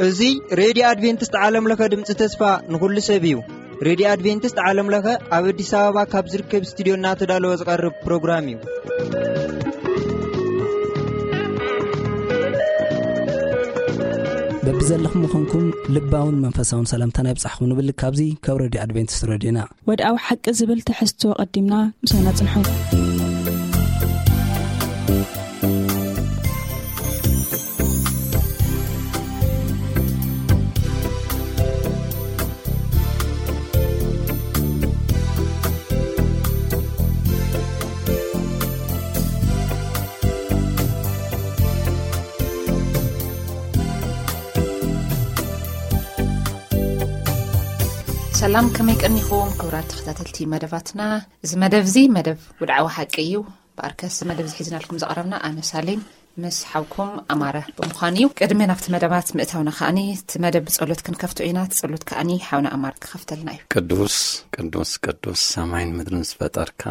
እዚ ሬድዮ ኣድቬንቲስት ዓለም ለኸ ድምፂ ተስፋ ንኹሉ ሰብ እዩ። ሬድዮ ኣድቬንቲስት ዓለም ለኸ ኣብ ኣዲስ ኣበባ ካብ ዝርከብ ስቱዲዮ እናተዳለወ ዝቐርብ ፕሮግራም እዩ። በብዘለኹም ምዃንኩም ልባውን መንፈሳውን ሰላምታና ይብጻሕኹም ንብል ካብዚ ካብ ሬድዮ ኣድቬንቲስት ሬድዮና። ወድኣዊ ሓቂ ዝብል ትሕዝቶ ቀዲምና ምሳና ጽንሑ። ሰላም፣ ከመይ ቀኒኹም ክቡራት ተኸታተልቲ መደባትና? እዚ መደብ እዚ መደብ ውድዓዊ ሓቂ እዩ። ብኣርከስ መደብ ዝሒዝናልኩም ዝቐረብና ኣነ ሳሌም ምስ ሓውኩም ኣማረ ብምዃን እዩ። ቅድሚ ናብቲ መደባት ምእታውና ከኣኒ እቲ መደብ ብጸሎት ክንከፍቶ ኢና። እቲ ጸሎት ከኣኒ ሓውና ኣማረ ክኸፍተልና እዩ። ቅዱስ ቅዱስ ቅዱስ ሰማይን ምድርን ዝፈጠርካ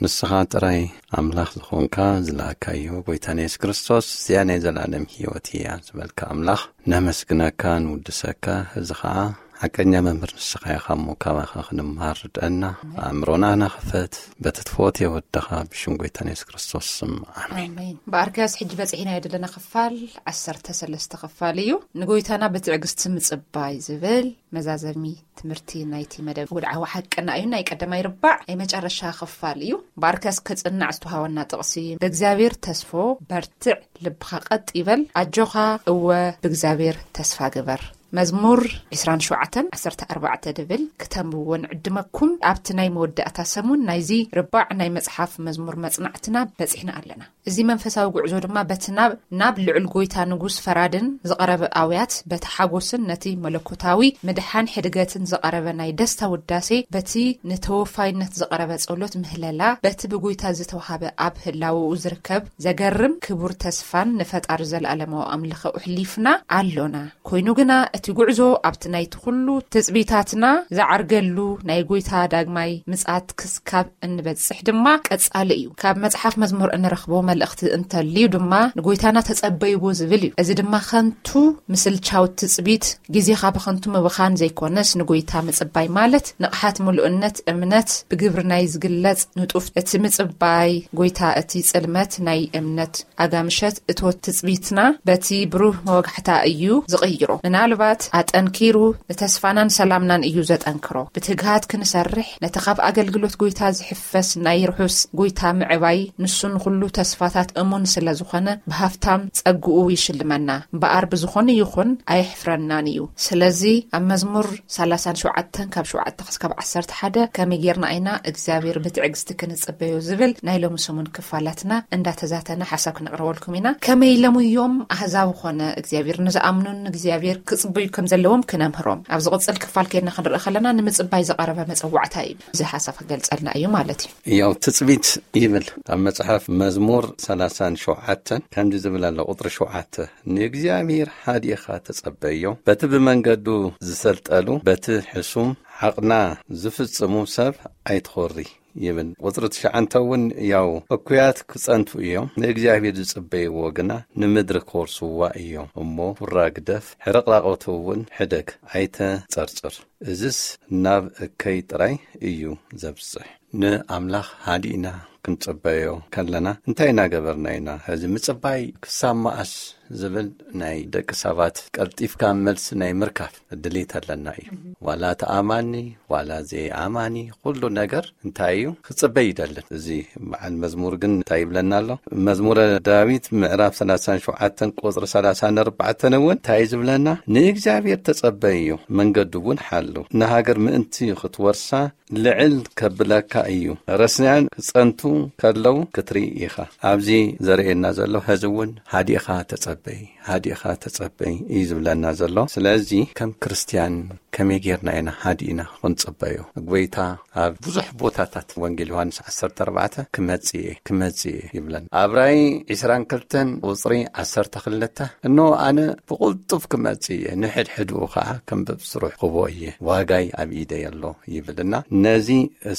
ንስኻ ጥራይ ኣምላኽ ዝኾንካ ዝለኣካዮ ጎይታና የሱስ ክርስቶስ፣ እዚኣ ናይ ዘለኣለም ህይወት እያ ዝበልካ ኣምላኽ ነመስግነካ፣ ንውድሰካ። እዚ ኸኣ ሓቀኛ መምህር ንስኻ ኢኻ እሞ ካባኻ ክንምሃር ርድአና። ኣእምሮና ናኸፈት በቲ ትፈትዮ ወድኻ ብሽም ጎይታና የሱስ ክርስቶስ ስም ኣሜን። ኣሜን። ብኣርከያስ ሕጂ በጺሕናዮ ዘለና ክፋል ዓሰርተ ሰለስተ ክፋል እዩ። ንጎይታና ብትዕግስቲ ምጽባይ ዝብል መዛዘሚ ትምህርቲ ናይቲ መደብ ውድዓዊ ሓቅና እዩ። ናይ ቀዳማይ ርባዕ ናይ መጨረሻ ክፋል እዩ። ብኣርከያስ ክጽናዕ ዝተውሃበና ጥቕሲ ብእግዚኣብሔር ተስፎ በርትዕ ልብኻ ቀጥ ይበል፣ ኣጆኻ እወ ብእግዚኣብሔር ተስፋ ግበር። መዝሙር ዕስራን ሸውዓተን ዓሰርተ ኣርባዕተ ድብል ክተንብዎ ንዕድመኩም። ኣብቲ ናይ መወዳእታ ሰሙን ናይዚ ርባዕ ናይ መጽሓፍ መዝሙር መጽናዕትና በጺሕና ኣለና። እዚ መንፈሳዊ ጉዕዞ ድማ በቲ ናብ፣ ናብ ልዑል ጎይታ ንጉስ ፈራድን ዝቐረበ ኣውያት በቲ ሓጎስን ነቲ መለኮታዊ ምድሓን ሕድገትን ዝቐረበ ናይ ደስታ ውዳሴ፣ በቲ ንተወፋይነት ዝቐረበ ጸሎት ምህለላ፣ በቲ ብጎይታ ዝተዋሃበ ኣብ ህላወኡ ዝርከብ ዘገርም ክቡር ተስፋን ንፈጣሪ ዘለኣለማዊ ኣምልኾ ኣሕሊፍና ኣሎና። ኮይኑ ግና እቲ ጉዕዞ ኣብቲ ናይቲ ኩሉ ትጽቢታትና ዝዓርገሉ ናይ ጎይታ ዳግማይ ምጽኣት ክስካብ እንበጽሕ ድማ ቀጻሊ እዩ። ካብ መጽሓፍ መዝሙር እንረኽቦ መልእኽቲ እንተልዩ ድማ ንጎይታና ተጸበይዎ ዝብል እዩ። እዚ ድማ ከንቱ ምስልቻው ትጽቢት ግዜኻ ብኸንቱ ምብኻን ዘይኮነስ ንጎይታ ምጽባይ ማለት ንቕሓት ምሉእነት እምነት ብግብሪ ናይ ዝግለጽ ንጡፍ እቲ ምጽባይ ጎይታ እቲ ጽልመት ናይ እምነት ኣጋምሸት እቶት ትጽቢትና በቲ ብሩህ መወጋሕታ እዩ ዝቕይሮ። ምናልባት ኣጠንኪሩ ንተስፋናን ሰላምናን እዩ ዘጠንክሮ። ብትግሃት ክንሰርሕ ነቲ ካብ ኣገልግሎት ጎይታ ዝሕፈስ ናይ ርሑስ ጎይታ ምዕባይ ንሱ ንኹሉ ተስፋታት እሙን ስለ ዝኾነ ብሃፍታም ጸግኡ ይሽልመና። እምበኣር ብዝኾነ ይኹን ኣየሕፍረናን እዩ። ስለዚ ኣብ መዝሙር ሰላሳን ሸውዓተን ካብ ሸውዓተ ክሳብ ዓሰርተ ሓደ ከመይ ጌርና ኢና እግዚኣብሔር ብትዕግስቲ ክንጽበዮ ዝብል ናይ ሎሚ ሰሙን ክፋላትና እንዳተዛተና ሓሳብ ክነቕርበልኩም ኢና። ከመይ ኢሎም እዮም ኣህዛብ ኾነ እግዚኣብሔር ንዝኣምኑን እግዚኣብሔር ክጽበዩ ከም ዘለዎም ክነምህሮም። ኣብ ዝቕጽል ክፋል ከይድና ክንርኢ ከለና ንምጽባይ ዝቐረበ መጸዋዕታ እዩ። እዚ ሓሳብ ክገልጸልና እዩ ማለት እዩ። ያው ትጽቢት ይብል ኣብ መጽሓፍ መዝሙር ሰላሳን ሸውዓተን ከምዚ ዝብል ኣሎ፣ ቁጽሪ ሸውዓተ፣ "ንእግዚኣብሔር ሃዲእኻ ተጸበዮ፣ በቲ ብመንገዱ ዝሰልጠሉ፣ በቲ ሕሱም ሓቕና ዝፍጽሙ ሰብ ኣይትኾሪ" ይብል። ቁጽሪ ትሽዓተ እውን ያው፣ "እኩያት ክጸንቱ እዮም፣ ንእግዚኣብሔር ዝጽበይዎ ግና ንምድሪ ክወርስዋ እዮም። እሞ ሁራ ግደፍ፣ ሕርቕራቖቱ እውን ሕደግ፣ ኣይተጸርጽር። እዝስ ናብ እከይ ጥራይ እዩ ዘብጽሕ።" ንኣምላኽ ሃዲእና ክንጽበዮ ከለና እንታይ እናገበርና ኢና? ሕዚ ምጽባይ ክሳብ መኣስ ዝብል ናይ ደቂ ሰባት ቀልጢፍካ መልሲ ናይ ምርካብ ድሌት ኣለና እዩ። ዋላ ተኣማኒ ዋላ ዘይኣማኒ ኩሉ ነገር እንታይ እዩ? ክጽበይ ይደልን። እዚ በዓል መዝሙር ግን እንታይ ይብለና ኣሎ? መዝሙረ ዳዊት ምዕራፍ ሰላሳን ሸውዓተን ቁጽሪ ሰላሳን ኣርባዕተን እውን እንታይ እዩ ዝብለና? "ንእግዚኣብሔር ተጸበይዮ፣ መንገዱ እውን ሓሉ። ንሃገር ምእንቲ ክትወርሳ ልዕል ከብለካ እዩ። ረስንያን ክጸንቱ ከለዉ ክትርኢ ኢኻ።" ኣብዚ ዘርእየና ዘሎ፣ ሕዚ እውን ሃዲእኻ ተጸበ። በይ፣ ሃዲእኻ ተጸበይ እዩ ዝብለና ዘሎ። ስለዚ ከም ክርስትያን ከመይ ጌርና ኢና ሃዲእና ክንጽበዮ? ጎይታ ኣብ ብዙሕ ቦታታት ወንጌል ዮሃንስ ዓሰርተ ኣርባዕተ ክመጽእ እየ፣ ክመጽእ እየ ይብለና። ኣብ ራእይ ዕስራን ክልተን ቁጽሪ ዓሰርተ ክልተ፣ እነሆ ኣነ ብቕልጡፍ ክመጽእ እየ፣ ንሕድሕድኡ ኸዓ ከም ብብስሩ ክቦ እየ፣ ዋጋይ ኣብ ኢደይ ኣሎ ይብልና። ነዚ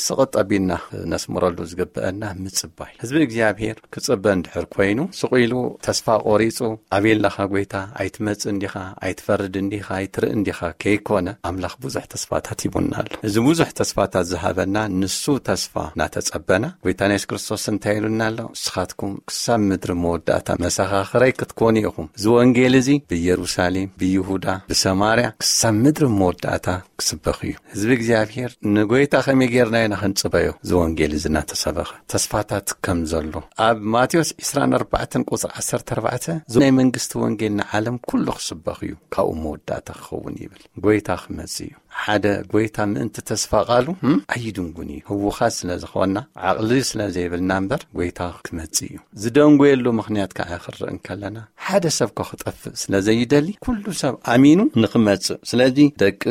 ስቕጥ ኣቢልና ነስምረሉ ዝግብአና ምጽባይ። ህዝቢ እግዚኣብሔር ክጽበ እንድሕር ኮይኑ፣ ስቕ ኢሉ ተስፋ ቆሪጹ፣ ኣበይ ኣለኻ ጎይታ? ኣይትመጽእ እንዲኻ? ኣይትፈርድ እንዲኻ? ኣይትርኢ እንዲኻ? ከይኮነ፣ ኣምላኽ ብዙሕ ተስፋታት ሂቡና ኣሎ። እዚ ብዙሕ ተስፋታት ዝሃበና ንሱ ተስፋ እናተጸበና፣ ጎይታና የሱስ ክርስቶስ እንታይ ኢሉና ኣሎ? ንስኻትኩም ክሳብ ምድሪ መወዳእታ መሰኻኽረይ ክትኮኑ ኢኹም። እዚ ወንጌል እዚ ብኢየሩሳሌም፣ ብይሁዳ፣ ብሰማርያ ክሳብ ምድሪ መወዳእታ ክስበኽ እዩ። ህዝቢ እግዚኣብሔር ንጎይታ ከመይ ጌርና ኢና ክንጽበዮ? እዚ ወንጌል እዚ እናተሰበኸ ተስፋታት ከም ዘሎ ኣብ ማቴዎስ ዕስራን ኣርባዕተን ቁጽሪ ዓሰርተ ኣርባዕተ፣ እዚ ናይ መንግስቲ ወንጌል ንዓለም ኩሉ ክስበኽ እዩ፣ ካብኡ መወዳእታ ክኸውን ይብል። ጎይታ ክመጽእ እዩ። ሓደ ጎይታ ምእንቲ ተስፋ ቃሉ፣ እም፣ ኣይድንጉን እዩ። ህውኻት ስለ ዝኾንና፣ ዓቕሊ ስለ ዘይብልና እምበር፣ ጎይታ ክመጽእ እዩ። ዝደንጎየሉ ምኽንያት ከዓ ክንርኢ እንከለና፣ ሓደ ሰብ ኮ ክጠፍእ ስለ ዘይደሊ፣ ኩሉ ሰብ ኣሚኑ ንኽመጽእ። ስለዚ ደቂ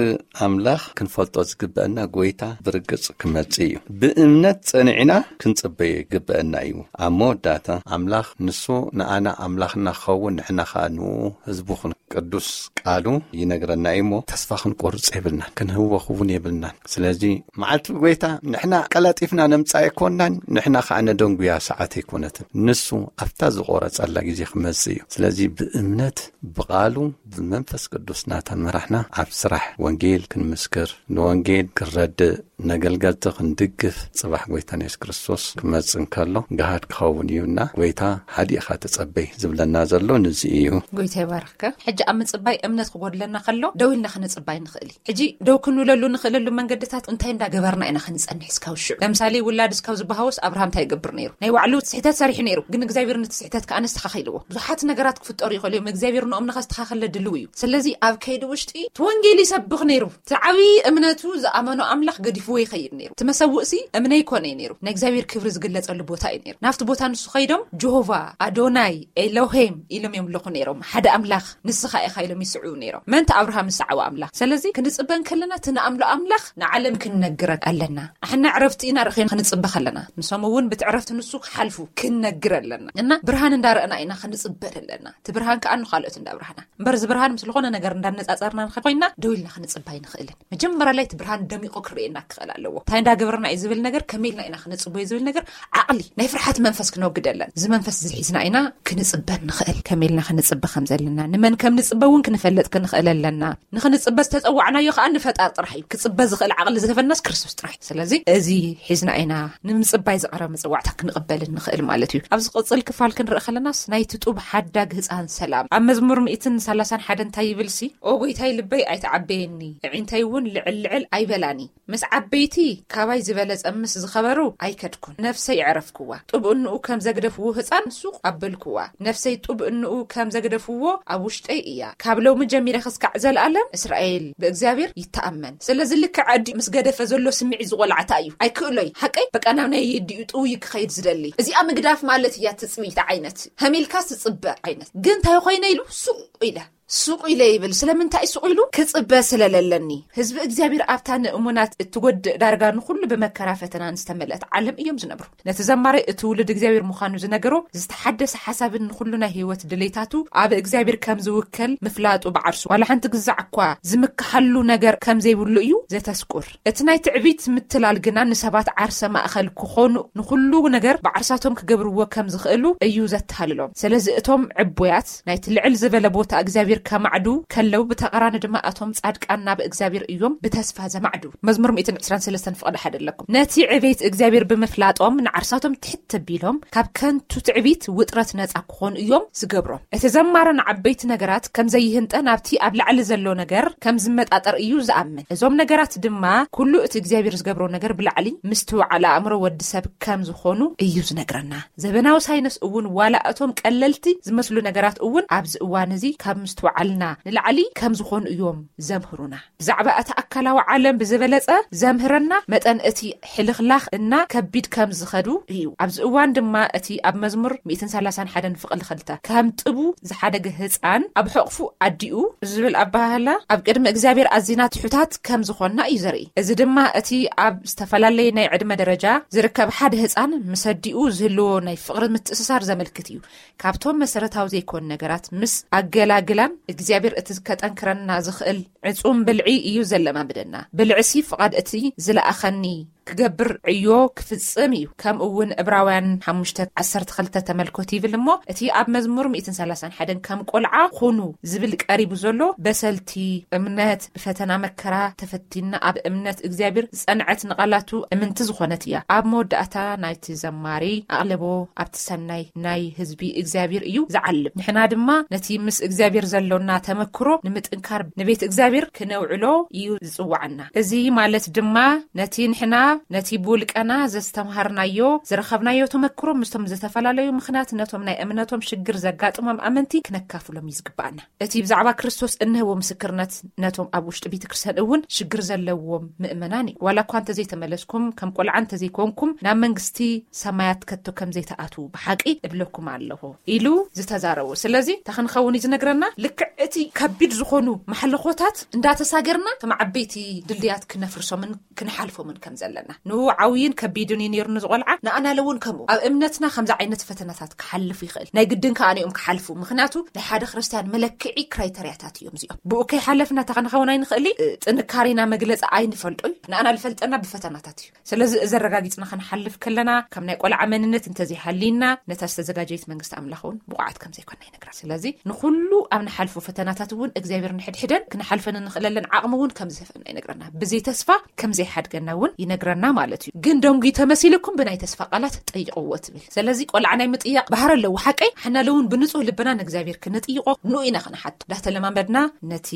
ኣምላኽ ክንፈልጦ ዝግበአና፣ ጎይታ ብርግጽ ክመጽእ እዩ። ብእምነት ጸኒዕና ክንጽበዮ ይግበአና እዩ። ኣብ መወዳእታ ኣምላኽ ንሱ ንኣና ኣምላኽና ክኸውን፣ ንሕና ኸኣ ንኡ ህዝቡ ክን-፣ ቅዱስ ቃሉ ይነግረና እዩ እሞ፣ ተስፋ ክንቆርጽ የብልናን፣ ክንህወኽ እውን የብልናን። ስለዚ መዓልቲ ጎይታ ንሕና ቀላጢፍና ነምጽኣ ኣይኮናን፣ ንሕና ኸዓ ነደንጉያ ሰዓት ኣይኮነትን። ንሱ ኣብታ ዝቆረጸላ ግዜ ክመጽእ እዩ። ስለዚ ብእምነት ብቓሉ ብመንፈስ ቅዱስ እናተመራሕና ኣብ ስራሕ ወንጌል ክንምስክር፣ ንወንጌል ክንረድእ፣ ነገልገልቲ ክንድግፍ፣ ጽባሕ ጎይታና የሱስ ክርስቶስ ክመጽእ እንከሎ ገሃድ ክኸውን እዩ። እና ጎይታ ሃዲእኻ ተጸበይ ዝብለና ዘሎ ንዚ እዩ። ጎይታ ይባርኽካ። ሕጂ ኣብ ምጽባይ እምነት ክጎድለና ከሎ ደው ኢልና ክንጽባይ ንኽእል እዩ። ሕጂ ደው ክንብለሉ ንኽእለሉ መንገድታት እንታይ እንዳገበርና ኢና ክንጸንሕ እስካብ ሽዑ? ለምሳሌ ውላድ እስካብ ዝበሃወስ ኣብርሃም እንታይ ይገብር ነይሩ? ናይ ባዕሉ ስሕተት ሰሪሑ ነይሩ፣ ግን እግዚኣብሔር ነቲ ስሕተት ከኣ ኣስተኻኺልዎ። ብዙሓት ነገራት ክፍጠሩ ይኽእሉ እዮም። እግዚኣብሔር ንኦም ንኸስተኻኽለ ድልው እዩ። ስለዚ ኣብ ከይዲ ውሽጢ እቲ ወንጌል ይሰብኽ ነይሩ። እቲ ዓብዪ እምነቱ ዝኣመኖ ኣምላኽ ገዲፍዎ ይኸይድ ነይሩ። እቲ መሰውእሲ እምነ ይኮነ እዩ ነይሩ። ናይ እግዚኣብሔር ክብሪ ዝግለጸሉ ቦታ እዩ ነይሩ። ናብቲ ቦታ ንሱ ኸይዶም ጀሆቫ፣ ኣዶናይ፣ ኤሎሄም ኢሎም የምልኹ ነይሮም። ሓደ ኣምላኽ ንስኻ ኢኻ ኢሎም ይስዕቡ ነይሮም። መን እቲ ኣብርሃም ዝሰዓቦ ኣምላኽ? ስለዚ ክንጽበ እንከለና እቲ ንኣምሎ ኣምላኽ ንዓለም ክንነግረ ኣለና። ኣሕና ዕረፍቲ ኢና ርኢና ክንጽበ ከለና፣ ንሶም እውን ብቲ ዕረፍቲ ንሱ ክሓልፉ ክንነግር ኣለና። እና ብርሃን እንዳረእና ኢና ክንጽበ ዘለና። እቲ ብርሃን ከኣ ንኻልኦት እንዳብርሃና። እምበር እዚ ብርሃን ምስ ዝኾነ ነገር እንዳነጻጸርና ንኸ ኮይና ደው ኢልና ክንጽበ ኣይንኽእልን። መጀመርያ ላይ እቲ ብርሃን ደሚቑ ክርእየና ክኽእል ኣለዎ። እንታይ እንዳገበርና እዩ ዝብል ነገር፣ ከመይ ኢልና ኢና ክንጽበዮ ዝብል ነገር፣ ዓቕሊ ናይ ፍርሓት መንፈስ ክነወግድ ኣለና። እዚ መንፈስ እዚ ሒዝና ኢና ክንጽበ ንኽእል። ከመይ ኢልና ክንጽበ ከም ዘለና፣ ንመን ከም ንጽበ እውን ክንፈልጥ ክንኽእል ኣለና። ንኽንጽበ ዝተጸዋዕናዮ ከኣ ንፈጣሪ ጥራሕ እዩ። ክጽበ ዝኽእል ዓቕሊ ዝህበናስ ክርስቶስ ጥራሕ እዩ። ስለዚ እዚ ሒዝና ኢና ንምጽባይ ዝቐረበ መጸዋዕታ ክንቕበል እንኽእል ማለት እዩ። ኣብ ዝቕጽል ክፋል ክንርኢ ከለናስ ናይቲ ጡብ ሓዳግ ህጻን ሰላም ኣብ መዝሙር ሚእትን ሰላሳን ሓደን እንታይ ይብል ሲ? "ኦ ጎይታይ ልበይ ኣይትዓበየኒ፣ ኣዒንተይ እውን ልዕል ልዕል ኣይበላኒ። ምስ ዓበይቲ ካባይ ዝበለጸ ምስ ዝኸበሩ ኣይከድኩን። ነፍሰይ ኣዕረፍክዋ። ጡብ እንኡ ከም ዘግደፍዎ ህጻን ሱቕ ኣበልክዋ። ነፍሰይ ጡብ እንኡ ከም ዘግደፍዎ ኣብ ውሽጠይ እያ። ካብ ሎሚ ጀሚረ ክስካዕ ዘልኣለም እስራኤል ብእግዚኣብሔር ይተኣመን።" ስለዚ ልክዕ ኣዲኡ ምስ ገደፈ ዘሎ ስምዒት ዝቖላዕታ እዩ። ኣይክእሎይ፣ ሓቀይ በቃ ናብ ናይ የዲኡ ጥውይ ክኸይድ ዝደሊ። እዚኣ ምግዳፍ ማለት እያ ትጽቢት ዓይነት። ሃሚልካ ትጽበ ዓይነት። ግን እንታይ ኮይነ ኢሉ ሱቕ ኢለ ሱቕ ኢለ ይብል። ስለምንታይ ሱቕ ኢሉ? ክጽበ ስለለለኒ። ህዝቢ እግዚኣብሔር ኣብታ ንእሙናት እትጎድእ ዳርጋ ንኹሉ ብመከራ ፈተናን ዝተመልአት ዓለም እዮም ዝነብሩ። ነቲ ዘማሪ እቲ ውሉድ እግዚኣብሔር ምዃኑ ዝነገሮ ዝተሓደሰ ሓሳብን ንኹሉ ናይ ህይወት ድሌታቱ ኣብ እግዚኣብሔር ከም ዝውከል ምፍላጡ ብዓርሱ ዋላ ሓንቲ ግዛዕ እኳ ዝምክሓሉ ነገር ከም ዘይብሉ እዩ ዘተስቁር። እቲ ናይ ትዕቢት ምትላል ግና ንሰባት ዓርሰ ማእከል ክኾኑ ንኹሉ ነገር ብዓርሳቶም ክገብርዎ ከም ዝኽእሉ እዩ ዘተሃልሎም። ስለዚ እቶም ዕቡያት ናይቲ ልዕል ዝበለ ቦታ እግዚኣብሔር ከማዕዱ ከለዉ ብተቓራኒ ድማ እቶም ጻድቃን ናብ እግዚኣብሔር እዮም ብተስፋ ዘማዕዱ። መዝሙር ሚእትን ዕስራን ሰለስተን ፍቕዲ ሓደ ኣለኩም። ነቲ ዕቤት እግዚኣብሔር ብምፍላጦም ንዓርሳቶም ትሕት ተቢሎም ካብ ከንቱ ትዕቢት ውጥረት ነጻ ክኾኑ እዮም ዝገብሮም። እቲ ዘማሮ ንዓበይቲ ነገራት ከም ዘይህንጠ ናብቲ ኣብ ላዕሊ ዘሎ ነገር ከም ዝመጣጠር እዩ ዝኣምን። እዞም ነገራት ድማ ኩሉ እቲ እግዚኣብሔር ዝገብሮ ነገር ብላዕሊ ምስትውዓል ኣእምሮ ወዲ ሰብ ከም ዝኾኑ እዩ ዝነግረና። ዘበናዊ ሳይንስ እውን ዋላ እቶም ቀለልቲ ዝመስሉ ነገራት እውን ኣብዚ እዋን እዚ ካብ ወዓልና ንላዕሊ ከም ዝኾኑ እዮም ዘምህሩና። ብዛዕባ እቲ ኣካላዊ ዓለም ብዝበለጸ ዘምህረና መጠን፣ እቲ ሕልኽላኽ እና ከቢድ ከም ዝኸዱ እዩ። ኣብዚ እዋን ድማ እቲ ኣብ መዝሙር ሚእትን ሰላሳን ሓደን ፍቕሊ ኽልተ ከም ጥቡ ዝሓደገ ህፃን ኣብ ሕቕፉ ኣዲኡ ዝብል ኣባህላ፣ ኣብ ቅድሚ እግዚኣብሔር ኣዚና ትሑታት ከም ዝኾንና እዩ ዘርኢ። እዚ ድማ እቲ ኣብ ዝተፈላለየ ናይ ዕድመ ደረጃ ዝርከብ ሓደ ህፃን ምስ ኣዲኡ ዝህልዎ ናይ ፍቕሪ ምትእስሳር ዘመልክት እዩ። ካብቶም መሰረታዊ ዘይኮኑ ነገራት ምስ ኣገላግላን እግዚኣብሔር እቲ ከጠንክረና ዝኽእል ዕጹም ብልዒ እዩ ዘለማምደና። ብልዕሲ ፍቓድ እቲ ዝለኣኸኒ ክገብር ዕዮ ክፍጽም እዩ። ከምኡ እውን ዕብራውያን ሓሙሽተ ዓሰርተ ክልተ ተመልኮት ይብል እሞ፣ እቲ ኣብ መዝሙር ሚእትን ሰላሳን ሓደን ከም ቆልዓ ኹኑ ዝብል ቀሪቡ ዘሎ በሰልቲ እምነት ብፈተና መከራ ተፈቲና ኣብ እምነት እግዚኣብሔር ዝጸንዐት ንቓላቱ እምንቲ ዝኾነት እያ። ኣብ መወዳእታ ናይቲ ዘማሪ ኣቕለቦ ኣብቲ ሰናይ ናይ ህዝቢ እግዚኣብሔር እዩ ዝዓልም። ንሕና ድማ ነቲ ምስ እግዚኣብሔር ዘሎና ተመክሮ ንምጥንካር ንቤት እግዚኣብሔር ክነውዕሎ እዩ ዝጽዋዓና። እዚ ማለት ድማ ነቲ ንሕና ነቲ ብውልቀና ዘስተምሃርናዮ ዝረኸብናዮ ተመክሮ ምስቶም ዝተፈላለዩ ምኽንያት ነቶም ናይ እምነቶም ሽግር ዘጋጥሞም ኣመንቲ ክነካፍሎም እዩ ዝግባኣና። እቲ ብዛዕባ ክርስቶስ እንህቦ ምስክርነት ነቶም ኣብ ውሽጢ ቤተ ክርስቲያን እውን ሽግር ዘለዎም ምእመናን እዩ። ዋላ እኳ እንተዘይተመለስኩም፣ ከም ቆልዓ እንተዘይኮንኩም ናብ መንግስቲ ሰማያት ከቶ ከም ዘይተኣትዉ ብሓቂ እብለኩም ኣለኹ ኢሉ ዝተዛረቡ። ስለዚ እንታይ ክንኸውን እዩ ዝነግረና? ልክዕ እቲ ከቢድ ዝኾኑ ማሕለኾታት እንዳተሳገርና ከም ዓበይቲ ድልድያት ክነፍርሶምን ክንሓልፎምን ከም ዘለና። ንኡ ዓብይን ከቢድን እዩ ነይሩ ንዝቆልዓ፣ ንኣናለ እውን ከምኡ። ኣብ እምነትና ከምዚ ዓይነት ፈተናታት ክሓልፍ ይኽእል። ናይ ግድን ከኣ ንኦም ክሓልፉ። ምኽንያቱ ናይ ሓደ ክርስቲያን መለክዒ ክራይተርያታት እዮም እዚኦም። ብኡ ከይሓለፍና እንታይ ክንኸውን ኣይንኽእል። እ፣ ጥንካሬና መግለጺ ኣይንፈልጦ እዩ። ንኣና ዝፈልጠና ብፈተናታት እዩ። ስለዚ እዚ ኣረጋጊጽና ክንሓልፍ ከለና፣ ከም ናይ ቆልዓ መንነት እንተዘይሃልይና፣ ነታ ዝተዘጋጀየት መንግስቲ ኣምላኽ እውን ብቑዓት ከም ዘይኮና ይነግረና። ስለዚ ንኹሉ ኣብ ንሓልፎ ፈተናታት እውን እግዚኣብሔር ንሕድሕደን ክንሓልፈን እንኽእለለን ዓቕሚ እውን ከም ዝህፈና ይነግረና። ብዘይ ተስፋ ከም ዘይሓድገና እውን ይነግረና ማለት እዩ። ግን ደንጉዩ ተመሲልኩም ብናይ ተስፋ ቃላት ጠይቕዎ ትብል። ስለዚ ቆልዓ ናይ ምጥያቕ ባህሪ ኣለዎ ሓቀይ። ሕና እውን ብንጹህ ልብና ንእግዚኣብሔር ክንጥይቖ ንኡ ኢና ክንሓቶ። እንዳተለማመድና ነቲ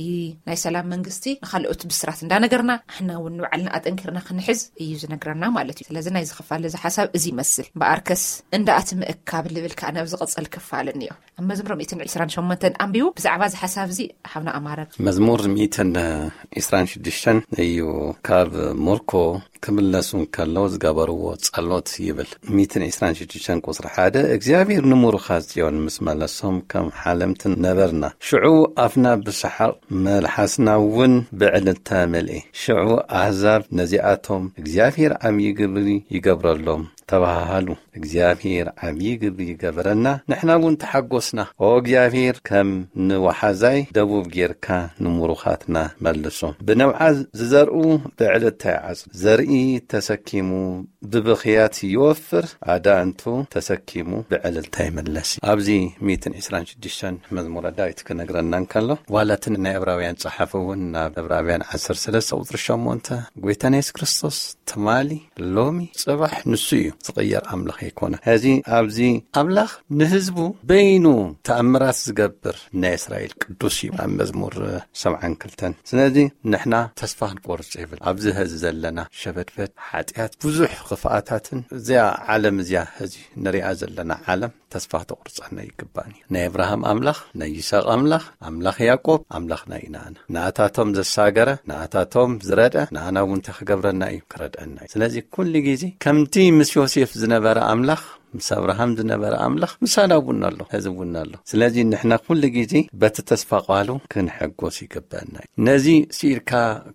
ናይ ሰላም መንግስቲ ንኻልኦት ብስራት እንዳነገርና፣ ሕና እውን ንባዕልና ኣጠንኪርና ክንሕዝ እዩ ዝነግረና ማለት እዩ። ስለዚ ናይ ዝኽፋል እዚ ሓሳብ እዚ ይመስል። እምበኣርከስ እንዳ ኣቲ ምእካብ ልብል ከኣ ናብ ዝቕጽል ክፋል እኒኦ። ኣብ መዝሙር ሚእትን ዕስራን ሸሞንተን ኣንቢቡ ብዛዕባ እዚ ሓሳብ እዚ ሓብና ኣማረ። መዝሙር ሚእትን ዕስራን ሽዱሽተን እዩ። ካብ ምርኮ ክምለሱ እንከለዉ ዝገበርዎ ጸሎት ይብል። ሚእትን ዕስራን ሽዱሽተን ቁጽሪ ሓደ፣ እግዚኣብሔር ንምሩኻት ጽዮን ምስ መለሶም ከም ሓለምቲ ነበርና። ሽዑ ኣፍና ብሰሓቕ መልሓስና እውን ብዕልልታ መልኤ። ሽዑ ኣህዛብ ነዚኣቶም እግዚኣብሔር ዓብዪ ግብሪ ይገብረሎም ተባሃሃሉ። እግዚኣብሔር ዓብዪ ግብሪ ይገበረና፣ ንሕና እውን ተሓጎስና። ኦ እግዚኣብሔር ከም ንወሓዛይ ደቡብ ጌርካ ንምሩኻትና መልሶም። ብነብዓ ዝዘርኡ ብዕልልታ ይዓጽዱ። ዘርኢ ተሰኪሙ ብብኽያት ይወፍር፣ ኣዳእንቱ ተሰኪሙ ብዕልልታ ይምለስ። ኣብዚ ሚእትን ዕስራን ሽዱሽተን መዝሙረ ዳዊት ክነግረና እንከሎ፣ ዋላ እቲ ናይ ዕብራውያን ጸሓፊ እውን ናብ ዕብራውያን ዓሰርተ ሰለስተ ቁጽሪ ሸሞንተ፣ ጎይታና የሱስ ክርስቶስ ትማሊ፣ ሎሚ፣ ጽባሕ ንሱ እዩ፣ ዝቕየር ኣምላኽ ኣይኮነ። ሕዚ ኣብዚ ኣምላኽ ንህዝቡ በይኑ ተኣምራት ዝገብር ናይ እስራኤል ቅዱስ እዩ። ኣብ መዝሙር ሰብዓን ክልተን። ስለዚ ንሕና ተስፋ ክንቆርጽ የብል። ኣብዚ ሕዚ ዘለና ሸበድበድ ሓጢኣት፣ ብዙሕ ክፍኣታትን እዚኣ ዓለም እዚኣ ሕዚ ንሪኣ ዘለና ዓለም ተስፋ ተቑርጸና ይግባን እዩ። ናይ እብራሃም ኣምላኽ፣ ናይ ይስሐቅ ኣምላኽ፣ ኣምላኽ ያዕቆብ ኣምላኽና እዩ ንኣና። ንኣታቶም ዘሳገረ፣ ንኣታቶም ዝረድአ፣ ንኣና እውን እንታይ ክገብረና እዩ? ክረድአና እዩ። ስለዚ ኩሉ ግዜ ከምቲ ምስ ዮሴፍ ዝነበረ ኣምላኽ፣ ምስ እብራሃም ዝነበረ ኣምላኽ ምሳና እውን ኣሎ፣ ሕዚ እውን ኣሎ። ስለዚ ንሕና ኩሉ ግዜ በቲ ተስፋ ቃሉ ክንሕጎስ ይግበአና እዩ። ነዚ ስኢልካ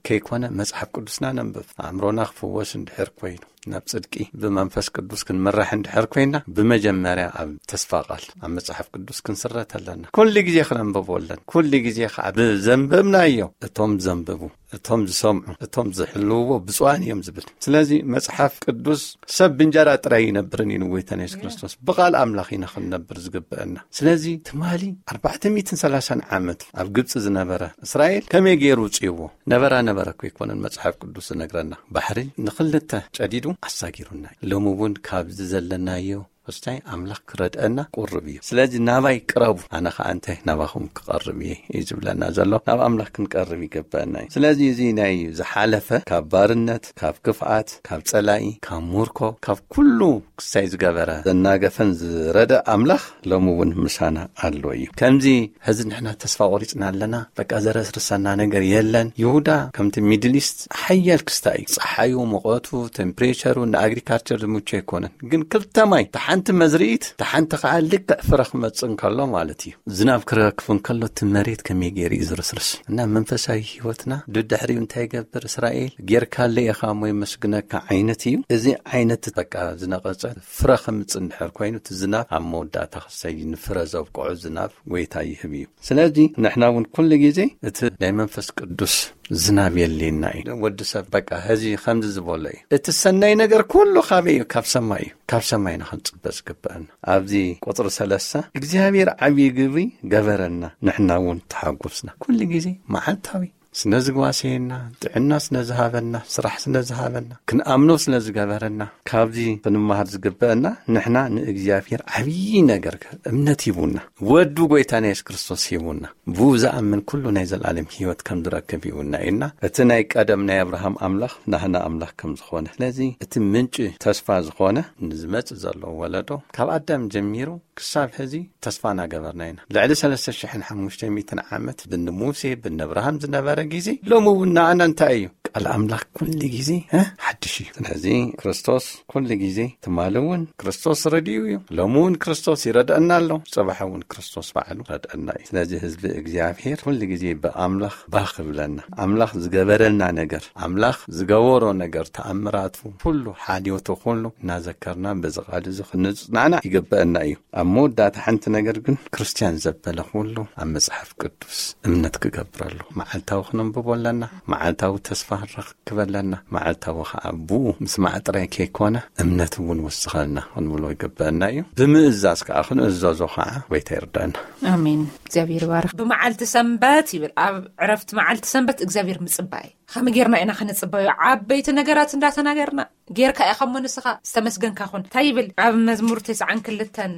ከይኮነ መጽሓፍ ቅዱስና ነንብብ። ኣእምሮና ክፍወስ እንድሕር ኮይኑ፣ ናብ ጽድቂ ብመንፈስ ቅዱስ ክንምራሕ እንድሕር ኮይና፣ ብመጀመርያ ኣብ ተስፋ ቃል፣ ኣብ መጽሓፍ ቅዱስ ክንስረት ኣለና። ኩሉ ግዜ ክነንብቦ ኣለና። ኩሉ ግዜ ከዓ ብዘንበብናዮ፣ እቶም ዘንብቡ፣ እቶም ዝሰምዑ፣ እቶም ዝሕልውዎ ብፁዓን እዮም ዝብል። ስለዚ መጽሓፍ ቅዱስ ሰብ ብእንጀራ ጥራይ ይነብርን እዩ ንጎይታና የሱስ ክርስቶስ። ብቃል ኣምላኽ ኢና ክንነብር ዝግበአና። ስለዚ ትማሊ ኣርባዕተ ሚእትን ሰላሳን ዓመት ኣብ ግብጺ ዝነበረ እስራኤል ከመይ ገይሩ ውጽእዎ? ነበራ ነበረ እኮ ኣይኮነን መጽሓፍ ቅዱስ ዝነግረና። ባሕሪ ንኽልተ ጨዲዱ ኣሳጊሩና እዩ። ሎሚ እውን ካብዚ ዘለናዮ ስታይ ኣምላኽ ክረድአና ቁርብ እዩ። ስለዚ ናባይ ቅረቡ፣ ኣነ ኸዓ እንተ ናባኹም ክቐርብ እየ እዩ ዝብለና ዘሎ። ናብ ኣምላኽ ክንቀርብ ይግበአና እዩ። ስለዚ እዚ ናይ ዝሓለፈ ካብ ባርነት፣ ካብ ክፍኣት፣ ካብ ጸላኢ፣ ካብ ሙርኮ፣ ካብ ኩሉ ክስታይ ዝገበረ፣ ዘናገፈን ዝረደ ኣምላኽ ሎሚ እውን ምሳና ኣሎ እዩ። ከምዚ ሕዚ ንሕና ተስፋ ቆሪጽና ኣለና፣ በቃ ዘረስርሰና ነገር የለን። ይሁዳ ከምቲ ሚድል ኢስት ሓያል ክስታይ እዩ። ጸሓዩ፣ ሙቐቱ፣ ቴምፕሬቸሩ ንኣግሪካልቸር ዝምቹ ኣይኮነን። ግን ክልተ ማይ፣ ተሓንቲ መዝርኢት፣ ተሓንቲ ከዓ ልክዕ ፍረ ክመጽእ እንከሎ ማለት እዩ። ዝናብ ክረክፍ እንከሎ እቲ መሬት ከመይ ገይሩ እዩ ዝርስርስ? እና መንፈሳዊ ህይወትና ድድሕሪኡ እንታይ ይገብር? እስራኤል ጌርካለ ኢኻ እሞ የመስግነካ ዓይነት እዩ። እዚ ዓይነት በቃ ዝነቐጸ ፍረ ከምጽእ እንድሕር ኮይኑ እቲ ዝናብ ኣብ መወዳእታ ክሰይ ንፍረ ዘብቅዖ ዝናብ ጎይታ ይህብ እዩ። ስለዚ ንሕና እውን ኩሉ ግዜ እቲ ናይ መንፈስ ቅዱስ ዝናብ የድልየና እዩ። ወዲ ሰብ በቃ ሕዚ ከምዚ ዝበሎ እዩ። እቲ ሰናይ ነገር ኩሉ ካበይ እዩ? ካብ ሰማይ እዩ። ካብ ሰማይ ኢና ክንጽበ ዝግበአና። ኣብዚ ቁጽሪ ሰለስተ እግዚኣብሔር ዓብዪ ግብሪ ገበረና፣ ንሕና እውን ተሓጎስና። ኩሉ ግዜ መዓልታዊ ስነ ዝጓሰየና፣ ጥዕና ስነ ዝሃበና፣ ስራሕ ስነ ዝሃበና፣ ክንኣምኖ ስነ ዝገበረና፣ ካብዚ ክንመሃር ዝግበአና ንሕና ንእግዚኣብሔር ዓብዪ ነገር እምነት ሂቡና። ወዱ ጎይታና የሱስ ክርስቶስ ሂቡና። ብኡ ዝኣምን ኩሉ ናይ ዘለኣለም ህይወት ከም ዝረክብ ሂቡና ኢልና፣ እቲ ናይ ቀደም ናይ ኣብርሃም ኣምላኽ ናህና ኣምላኽ ከም ዝኾነ፣ ስለዚ እቲ ምንጪ ተስፋ ዝኾነ ንዝመጽእ ዘሎ ወለዶ ካብ ኣዳም ጀሚሩ ክሳብ ሕዚ ተስፋ እናገበርና ኢና። ልዕሊ ሰለስተ ሽሕን ሓሙሽተ ሚእትን ዓመት ብኒ ሙሴ ብኒ ኣብርሃም ዝነበረ ግዜ ሎሚ እውን ንኣና እንታይ እዩ? ቃል ኣምላኽ ኩሉ ግዜ እ ሓድሽ እዩ። ስለዚ ክርስቶስ ኩሉ ግዜ ትማሊ እውን ክርስቶስ ረድዩ እዩ። ሎሚ እውን ክርስቶስ ይረድአና ኣሎ። ጽባሕ እውን ክርስቶስ ባዕሉ ረድአና እዩ። ስለዚ ህዝቢ እግዚኣብሔር ኩሉ ግዜ ብኣምላኽ ባኽ ይብለና። ኣምላኽ ዝገበረልና ነገር፣ ኣምላኽ ዝገበሮ ነገር፣ ተኣምራቱ ኩሉ፣ ሓልዮቱ ኩሉ እናዘከርና በዚ ቃል እዚ ክንጽናና ይግበአና እዩ። ኣብ መወዳእታ ሓንቲ ነገር ግን ክርስትያን ዘበለ ኩሉ ኣብ መጽሓፍ ቅዱስ እምነት ክገብረሉ መዓልታዊ ክነንብቦ ኣለና። መዓልታዊ ተስፋ ክንረክብ ኣለና። መዓልታዊ ከዓ ብኡ ምስማዕ ጥራይ ከይኮነ እምነት እውን ወስኸልና ክንብሎ ይግበአና እዩ። ብምእዛዝ ከዓ ክንእዘዞ ከዓ ጎይታ ይርዳና። ኣሜን። እግዚኣብሔር ይባርክ። ብመዓልቲ ሰንበት ይብል፣ ኣብ ዕረፍቲ መዓልቲ ሰንበት እግዚኣብሔር ምጽባይ። ከመይ ጌርና ኢና ክንጽበዮ? ዓበይቲ ነገራት እንዳተናገርና ጌርካ ኢኻ እሞ ንስኻ ዝተመስገንካ ኩን። እንታይ ይብል ኣብ መዝሙር ተስዓን ክልተን?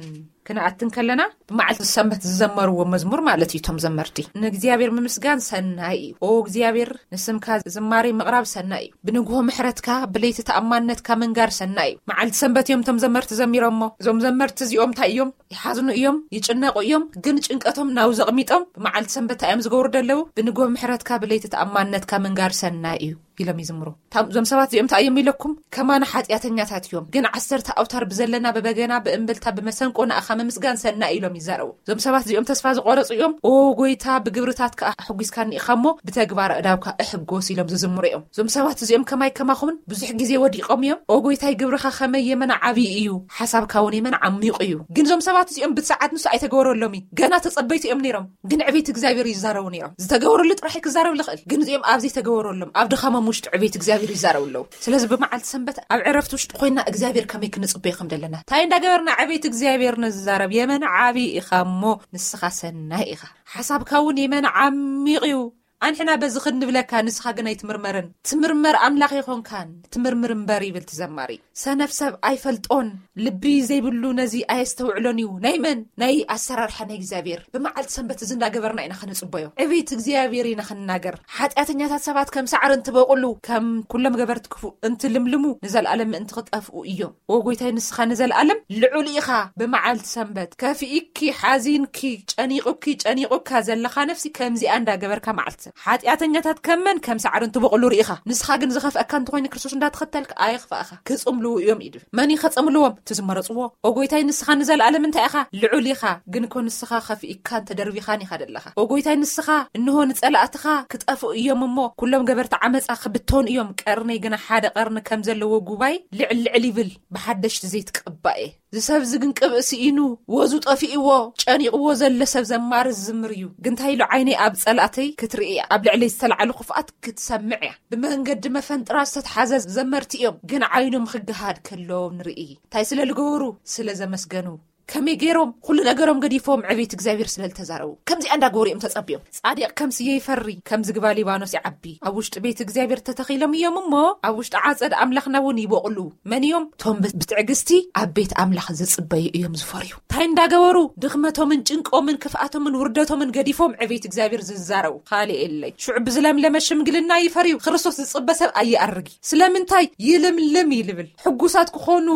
ክንኣትን ከለና ብመዓልቲ ሰንበት ዝዘመርዎ መዝሙር ማለት እዩ። እቶም ዘመርቲ ንእግዚኣብሔር ምምስጋን ሰናይ እዩ። ኦ እግዚኣብሔር ንስምካ ዝማሬ ምቕራብ ሰናይ እዩ። ብንግሆ ምሕረትካ ብለይቲ ተኣማንነትካ ምንጋር ሰናይ እዩ። መዓልቲ ሰንበት እዮም እቶም ዘመርቲ ዘሚሮሞ። እዞም ዘመርቲ እዚኦም እንታይ እዮም? ይሓዝኑ እዮም፣ ይጭነቑ እዮም። ግን ጭንቀቶም ናብዚ ኣቕሚጦም ብመዓልቲ ሰንበት እንታይ እዮም ዝገብሩ ደለዉ? ብንግሆ ምሕረትካ ብለይቲ ተኣማንነትካ ምንጋር ሰናይ እዩ ኢሎም ይዝምሩ። እታ- እዞም ሰባት እዚኦም እንታይ እዮም ኢለኩም? ከማና ሓጢኣተኛታት እዮም፣ ግን ዓሰርተ ኣውታር ብዘለና ብበገና ብእምብልታ ብመሰንቆ ንኣኻ ምምስጋን ሰናይ ኢሎም ይዛረቡ። እዞም ሰባት እዚኦም ተስፋ ዝቆረጹ እዮም። ኦ ጎይታ ብግብርታትካ ኣሕጒስካኒ ኢኻ እሞ ብተግባር ኣእዳውካ እሕጎስ ኢሎም ዝዝምሩ እዮም። እዞም ሰባት እዚኦም ከማይ ከማኹምን ብዙሕ ግዜ ወዲቖም እዮም። ኦ ጎይታይ ግብርኻ ከመይ የመና ዓብዪ እዩ፣ ሓሳብካ እውን የመና ዓሚቑ እዩ። ግን እዞም ሰባት እዚኦም ብቲ ሰዓት ንሱ ኣይተገበረሎም እዩ። ገና ተጸበይቲ እዮም ነይሮም። ግን ዕቤት እግዚኣብሔር ይዛረቡ ነይሮም። ዝተገበረሉ ጥራሕ ክዛረብ ዝኽእል፣ ግን እዚኦም ኣብ ዘይተገበረሎም ኣብ ድኻሞም ውሽጢ ዕቤት እግዚኣብሔር ይዛረቡ ኣለዉ። ስለዚ ብመዓልቲ ሰንበት ኣብ ዕረፍቲ ውሽጢ ኮይና እግዚኣብሔር ከመይ ክንጽበዮ ከም ዘለና፣ እንታይ እንዳገበርና ዕቤት እግዚኣብሔር ንዛረብ። የመን ዓቢ ኢኻ እሞ ንስኻ ሰናይ ኢኻ፣ ሓሳብካ እውን የመን ዓሚቕ እዩ። ኣንሕና በዚ ክንብለካ ንስኻ ግን ኣይትምርመርን። ትምርመር ኣምላኽ ኣይኾንካን፣ ትምርምር እምበር ይብል እቲ ዘማሪ። ሰነፍ ሰብ ኣይፈልጦን፣ ልቢ ዘይብሉ ነዚ ኣየስተውዕሎን እዩ። ናይ መን? ናይ ኣሰራርሓ ናይ እግዚኣብሔር። ብመዓልቲ ሰንበት እዚ እንዳገበርና ኢና ክንጽበዮ። ዕቤት እግዚኣብሔር ኢና ክንናገር። ሓጢኣተኛታት ሰባት ከም ሳዕሪ እንትበቑሉ፣ ከም ኩሎም ገበርቲ ክፉእ እንትልምልሙ፣ ንዘለኣለም ምእንቲ ክጠፍኡ እዮም። ኦ ጎይታይ፣ ንስኻ ንዘለኣለም ልዑል ኢኻ። ብመዓልቲ ሰንበት ከፊእኪ፣ ሓዚንኪ፣ ጨኒቑኪ፣ ጨኒቑካ ዘለኻ ነፍሲ ከምዚኣ እንዳገበርካ መዓልቲ ሰንበት። ሓጢኣተኛታት ከም መን? ከም ሳዕሪ እንትበቑሉ ርኢኻ። ንስኻ ግን ዝኸፍአካ እንተኾይኑ ክርስቶስ እንዳተኸተልካ ኣየኽፍኣኻ። ክጽምልዉ እዮም ኢሉ። መን እዩ ከጸምልዎም? እቲ ዝመረጽዎ። ኦ ጎይታይ፣ ንስኻ ንዘለኣለም እንታይ ኢኻ? ልዑል ኢኻ። ግን እኮ ንስኻ ከፊእካን ተደርቢኻን ኢኻ ዘለኻ። ኦ ጎይታይ፣ ንስኻ እንሆ ንጸላእትኻ ክጠፍኡ እዮም እሞ፣ ኩሎም ገበርቲ ዓመጻ ክብተኑ እዮም። ቀርነይ ግና ሓደ ቀርኒ ከም ዘለዎ ጉባኤ ልዕል ልዕል ይብል፣ ብሓደሽቲ ዘይትቅባእ እየ። ዝሰብ እዚ ግን ቅብእ ስኢኑ፣ ወዙ ጠፊእዎ፣ ጨኒቕዎ ዘሎ ሰብ ዘማሪ ዝዝምር እዩ። ግን እንታይ ኢሉ? ዓይነይ ኣብ ጸላእተይ ክትርኢ እያ፣ ኣብ ልዕለይ ዝተላዕሉ ክፍኣት ክትሰምዕ እያ። ብመንገዲ መፈንጥራ ዝተትሓዘ ዘመርቲ እዮም፣ ግን ዓይኖም ክገሃድ ከለዎም ንርኢ። እንታይ ስለ ዝገበሩ? ስለ ዘመስገኑ። ከመይ ገይሮም ኩሉ ነገሮም ገዲፎም ዕቤት እግዚኣብሔር ስለ ዝተዛረቡ ከምዚኣ እንዳገበሩ እዮም ተጸብዮም። ጻድቕ ከም ስየ ይፈሪ፣ ከም ዝግባ ሊባኖስ ይዓቢ። ኣብ ውሽጢ ቤት እግዚኣብሔር ተተኺሎም እዮም እሞ፣ ኣብ ውሽጢ ዓጸድ ኣምላኽና እውን ይበቕሉ። መን እዮም? እቶም ብ-፣ ብትዕግስቲ ኣብ ቤት ኣምላኽ ዝጽበዩ እዮም ዝፈርዩ። እንታይ እንዳገበሩ? ድኽመቶምን ጭንቆምን ክፍኣቶምን ውርደቶምን ገዲፎም ዕቤት እግዚኣብሔር ዝዛረቡ። ካልእ የለይ። ሽዑ ብዝለምለመ ሽምግልና ይፈርዩ። ክርስቶስ ዝጽበ ሰብ ኣይኣርግ። ስለምንታይ? ይልምልም ይልብል። ሕጉሳት ክኾኑ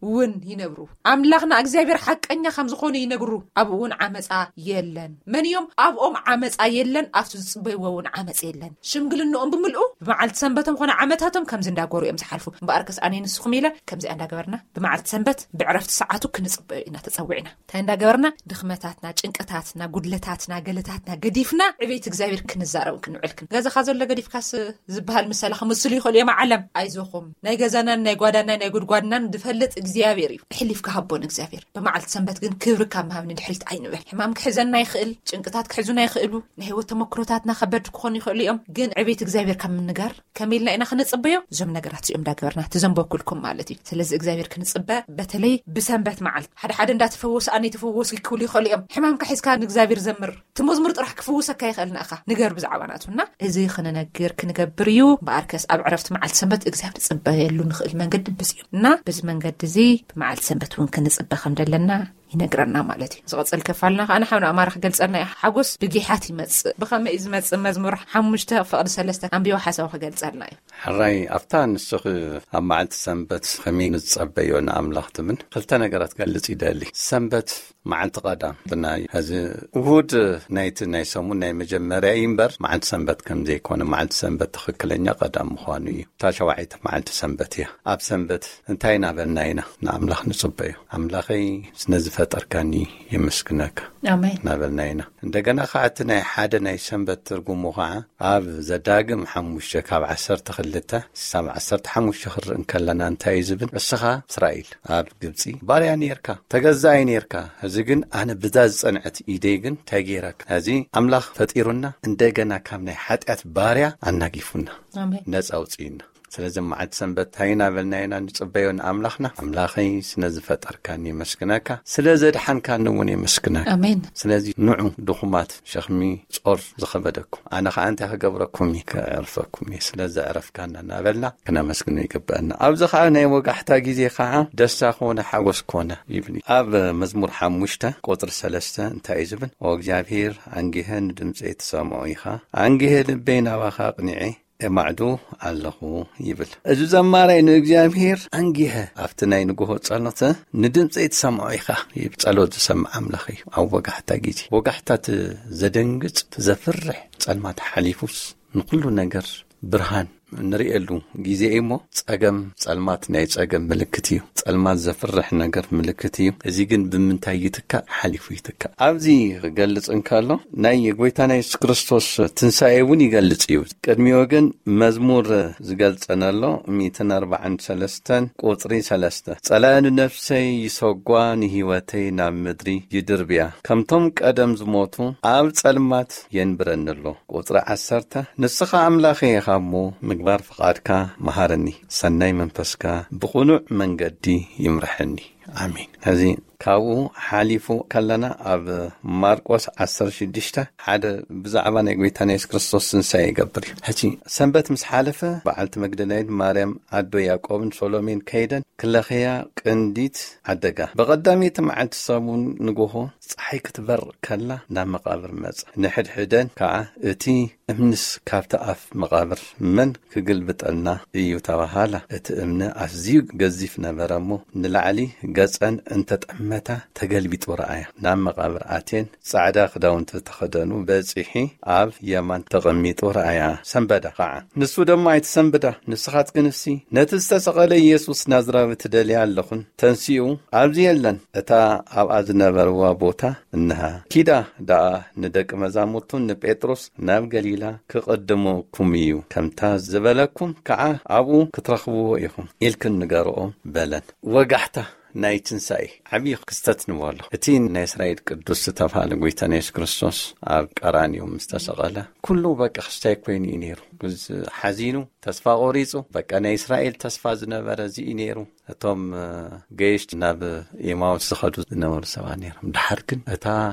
እውን ይነብሩ። ኣምላኽና እግዚኣብሔር ሓቀኛ ከም ዝኾኑ ይነግሩ። ኣብኡ እውን ዓመጻ የለን። መን እዮም? ኣብኦም ዓመጻ የለን፣ ኣብቲ ዝጽበይዎ እውን ዓመጽ የለን። ሽምግልንኦም ብምልኡ ብመዓልቲ ሰንበቶም ኾነ ዓመታቶም ከምዚ እንዳገበሩ እዮም ዝሓልፉ። እምበኣርከስ ኣነ ንስኹም ኢለ ከምዚኣ እንዳገበርና ብመዓልቲ ሰንበት ብዕረፍቲ ሰዓቱ ክንጽበዮ ኢና ተጸዊዕና። እንታይ እንዳገበርና? ድኽመታትና፣ ጭንቅታትና፣ ጉድለታትና፣ ገለታትና ገዲፍና ዕቤት እግዚኣብሔር ክንዛረብ ክንውዕል ክን-፣ ገዛኻ ዘሎ ገዲፍካስ ዝበሃል ምሳሌ ክምስሉ ይኽእሉ እዮም። ዓለም ኣይዞኹም፣ ናይ ገዛናን ናይ ጓዳናን ናይ ጉድጓድናን ዝፈልጥ እግዚኣብሔር እዩ። ሕሊፍ ክሃቦን እግዚኣብሔር ብመዓልቲ ሰንበት ግን ክብሪ ካብ ምሃብ ንድሕሪት ኣይንበል። ሕማም ክሕዘና ይኽእል፣ ጭንቅታት ክሕዙና ይኽእሉ፣ ናይ ህይወት ተመክሮታትና ከበድ ክኾኑ ይኽእሉ እዮም። ግን ዕቤት እግዚኣብሔር ካብ ምንጋር ከመይ ኢልና ኢና ክንጽበዮ? እዞም ነገራት እዚኦም እንዳገበርና፣ እቲ ዘንበብኩልኩም ማለት እዩ። ስለዚ እግዚኣብሔር ክንጽበ፣ በተለይ ብሰንበት መዓልቲ፣ ሓደ ሓደ እንዳተፈወሱ ኣነ የተፈወሱ ክብሉ ይኽእሉ እዮም። ሕማምካ ሒዝካ ንእግዚኣብሔር ዘምር። እቲ መዝሙር ጥራሕ ክፍውሰካ ይኽእል ንኣኻ። ንገር ብዛዕባ ናቱ እና እዚ ክንነግር ክንገብር እዩ። እምበኣርከስ ኣብ ዕረፍቲ መዓልቲ ሰንበት እግዚኣብሔር ንጽበየሉ ንኽእል መንገዲ ብዚ እዩ። እና በዚ መንገዲ እዚ ብመዓልቲ ሰንበት እውን ክንጽበ ከም ዘለና ይነግረና ማለት እዩ። ዝቐጽል ክፋልና ከኣ ንሓውና ኣማራ ክገልጸልና እዩ። ሓጎስ ብጊሓት ይመጽእ። ብኸመይ እዩ ዝመጽእ? መዝሙር ሓሙሽተ ፍቕዲ ሰለስተ ኣንቢቦ ሓሳቡ ክገልጸልና እዩ። ሕራይ ኣብታ ንስኺ ኣብ መዓልቲ ሰንበት ከመይ ንጸበዮ ንኣምላኽ ትብል ክልተ ነገራት ገልጽ ይደሊ። ሰንበት መዓልቲ ቀዳም ብናይ ሕዚ እሁድ ናይቲ ናይ ሰሙን ናይ መጀመርያ እዩ እምበር መዓልቲ ሰንበት ከም ዘይኮነ፣ መዓልቲ ሰንበት ትኽክለኛ ቀዳም ምዃኑ እዩ። እታ ሸዋዓይተ መዓልቲ ሰንበት እያ። ኣብ ሰንበት እንታይ እናበልና ኢና ንኣምላኽ ንጽበዮ? ኣምላኸይ ስነ ዝፈጠርካኒ የመስግነካ ኣሜን። እናበልና ኢና። እንደገና ከዓ እቲ ናይ ሓደ ናይ ሰንበት ትርጉሙ ከዓ ኣብ ዘዳግም ሓሙሽተ ካብ ዓሰርተ ክልተ ሳብ ዓሰርተ ሓሙሽተ ክርኢ እንከለና እንታይ እዩ ዝብል? እስኻ እስራኤል ኣብ ግብፂ ባርያ ነርካ፣ ተገዛኢ ነርካ። እዚ ግን ኣነ ብዛ ዝጸንዐት ኢደይ ግን እንታይ ገይረካ? እዚ ኣምላኽ ፈጢሩና እንደገና ካብ ናይ ሓጢኣት ባርያ ኣናጊፉና ኣሜን። ነፃ ኣውፅዩና። ስለዚ መዓልቲ ሰንበት እንታይ እናበልና ኢና ንጽበዮ ንኣምላኽና? ኣምላኸይ ስነ ዝፈጠርካኒ የመስግነካ፣ ስለ ዘድሓንካኒ እውን የመስግነካ። ኣሜን። ስለዚ ንዑ ድኹማት ሸኽሚ ጾር ዝኸበደኩም ኣነ ኸዓ እንታይ ክገብረኩም እዩ? ከዕርፈኩም እየ። ስለ ዘዕረፍካና እናበልና ክነመስግኖ ይግበአና። ኣብዚ ኸዓ ናይ ወጋሕታ ግዜ ኸዓ ደስታ ኮነ ሓጎስ ኮነ ይብል እዩ። ኣብ መዝሙር ሓሙሽተ ቁጽሪ ሰለስተ እንታይ እዩ ዝብል? ኦ እግዚኣብሔር ኣንጊሀ ንድምፀይ ትሰምዖ ኢኻ፣ ኣንጊሀ ልበይ ናባኻ ኣቕኒዐ እማዕዱ ኣለኹ ይብል። እዚ ዘማራይ ንእግዚኣብሔር ኣንጊሀ ኣብቲ ናይ ንግሆ ጸሎት ንድምፀይ ትሰምዖ ኢኻ ይብል። ጸሎት ዝሰምዕ ኣምላኽ እዩ። ኣብ ወጋሕታ ግዜ ወጋሕታ እቲ ዘደንግጽ እቲ ዘፍርሕ ጸልማት ሓሊፉስ ንኹሉ ነገር ብርሃን እንርእየሉ ግዜ እዩ እሞ ጸገም ጸልማት ናይ ጸገም ምልክት እዩ። ጸልማት ዘፍርሕ ነገር ምልክት እዩ። እዚ ግን ብምንታይ ይትካእ? ሓሊፉ ይትካእ። ኣብዚ ክገልጽ እንከሎ ናይ ጎይታና የሱስ ክርስቶስ ትንሳኤ እውን ይገልጽ እዩ። ቅድሚኡ ግን መዝሙር ዝገልጸና ኣሎ፣ ሚእትን ኣርባዓን ሰለስተን ቁጽሪ ሰለስተ፣ "ጸላኢ ንነፍሰይ ይሰጓ፣ ንህይወተይ ናብ ምድሪ ይድርብያ። ከምቶም ቀደም ዝሞቱ ኣብ ጸልማት የንብረኒ ኣሎ።" ቁጽሪ ዓሰርተ፣ "ንስኻ ኣምላኸይ ኢኻ እሞ ምግባር ፍቓድካ መሃረኒ፣ ሰናይ መንፈስካ ብቕኑዕ መንገዲ ይምርሐኒ። ኣሜን።" እዚ ካብኡ ሓሊፉ ከለና ኣብ ማርቆስ ዓሰርተ ሽዱሽተ ሓደ ብዛዕባ ናይ ጎይታና የሱስ ክርስቶስ ትንሳኤ ይገብር እዩ። ሕጂ ሰንበት ምስ ሓለፈ በዓልቲ መግደላዊት ማርያም ኣዶ ያዕቆብን ሶሎሜን ከይደን ክለኽያ ቅንዲት ዓደጋ። ብቐዳመይቲ መዓልቲ ሰሙን ንግሆ ጸሓይ ክትበርቕ ከላ ናብ መቓብር መጸ። ንሕድሕደን ከኣ እቲ እምንስ ካብቲ ኣፍ መቓብር መን ክግልብጠልና እዩ ተባሃላ። እቲ እምኒ ኣዝዩ ገዚፍ ነበረ እሞ ንላዕሊ ገጸን እንተጠመታ ተገልቢጡ ረኣያ። ናብ መቓብር ኣትየን ጻዕዳ ክዳውንቲ ተኸደኑ በጺሒ ኣብ የማን ተቐሚጡ ረኣያ። ሰንበዳ ኸዓ። ንሱ ድማ ኣይትሰንብዳ፣ ንስኻትክንሲ ነቲ ዝተሰቐለ ኢየሱስ ናዝራዊ ትደልያ ኣለኹን፣ ተንሲኡ ኣብዚ የለን። እታ ኣብኣ ዝነበርዋ ቦታ እንሃ። ኪዳ ደኣ ንደቂ መዛሙርቱን ንጴጥሮስ ናብ ገሊላ ክቕድመኩም እዩ፣ ከምታ ዝበለኩም ከኣ ኣብኡ ክትረኽብዎ ኢኹም ኢልክን ንገርኦ በለን። ወጋሕታ ናይ ትንሳኤ ዓብዪ ክስተት ንበሎ። እቲ ናይ እስራኤል ቅዱስ ዝተባህለ ጎይታና የሱስ ክርስቶስ ኣብ ቀራንዮ ምስ ተሰቐለ፣ ኩሉ በቃ ክስታይ ኮይኑ እዩ ነይሩ። ሓዚኑ፣ ተስፋ ቆሪጹ፣ በቃ ናይ እስራኤል ተስፋ ዝነበረ እዚ እዩ ነይሩ። እቶም ገይሽት ናብ ኤማውስ ዝኸዱ ዝነበሩ ሰባት ነይሮም። ድሓር ግን እታ